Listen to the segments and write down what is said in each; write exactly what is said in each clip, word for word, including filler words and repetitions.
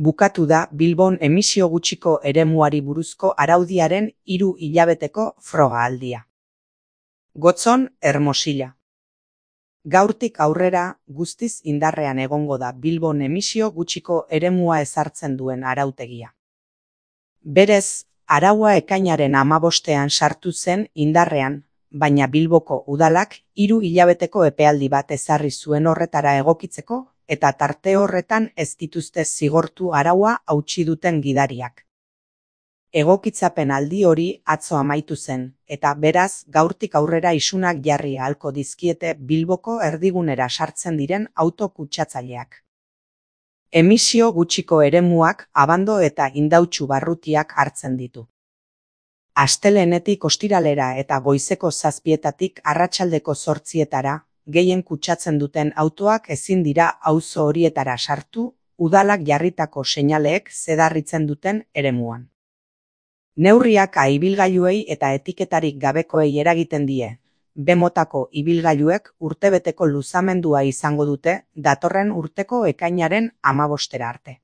bukatu da Bilbon emisio gutxiko eremuari buruzko araudiaren hiru hilabeteko froga-aldia. Gotzon, Hermosilla. Gaurtik aurrera guztiz indarrean egongo da Bilbon emisio gutxiko eremua ezartzen duen arautegia. Berez, araua ekainaren hamabostean sartu zen indarrean, baina Bilboko udalak hiru hilabeteko epealdi bat ezarri zuen horretara egokitzeko, eta tarte horretan ez dituzte zigortu araua hautsi duten gidariak. Egokitzapen aldi hori atzo amaitu zen, eta beraz gaurtik aurrera isunak jarri ahalko dizkiete Bilboko erdigunera sartzen diren auto kutsatzaileak. Emisio gutxiko eremuak abando eta indautxu barrutiak hartzen ditu. Astelehenetik ostiralera eta goizeko zazpietatik arratsaldeko zortzietara, gehien kutsatzen duten autoak ezin dira auzo horietara sartu, udalak jarritako seinaleek zedarritzen duten eremuan. Neurriak A ibilgailuei eta etiketarik gabekoei eragiten die. B motako ibilgailuek urtebeteko luzamendua izango dute datorren urteko ekainaren hamabostera arte.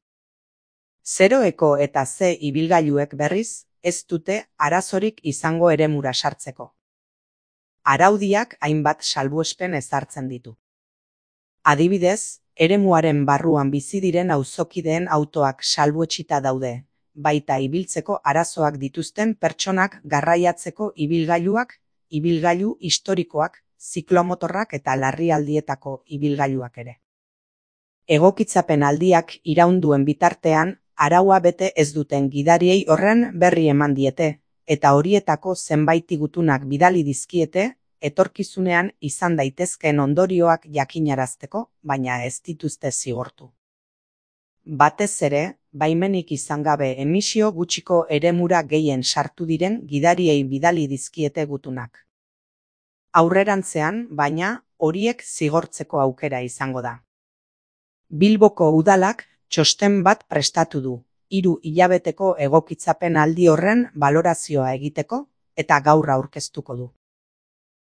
Zeroeko eta Z ibilgailuek berriz ez dute arazorik izango eremura sartzeko. Araudiak hainbat salbuespen ezartzen ditu. Adibidez, eremuaren barruan bizi diren auzokideen autoak salbuetsita daude, baita ibiltzeko arazoak dituzten pertsonak garraiatzeko ibilgailuak, ibilgailu historikoak, ziklomotorrak eta larrialdietako ibilgailuak ere. Egokitzapen aldiak iraunduen bitartean, araua bete ez duten gidariei horren berri eman diete, eta horietako zenbait gutunak bidali dizkiete, etorkizunean izan daitezkeen ondorioak jakinarazteko, baina ez dituzte zigortu. Batez ere, baimenik izan gabe emisio gutxiko eremura gehien sartu diren gidariei bidali dizkiete gutunak. Aurrerantzean, baina, horiek zigortzeko aukera izango da. Bilboko udalak txosten bat prestatu du, hiru hilabeteko egokitzapen aldi horren balorazioa egiteko, eta gaur aurkeztuko du.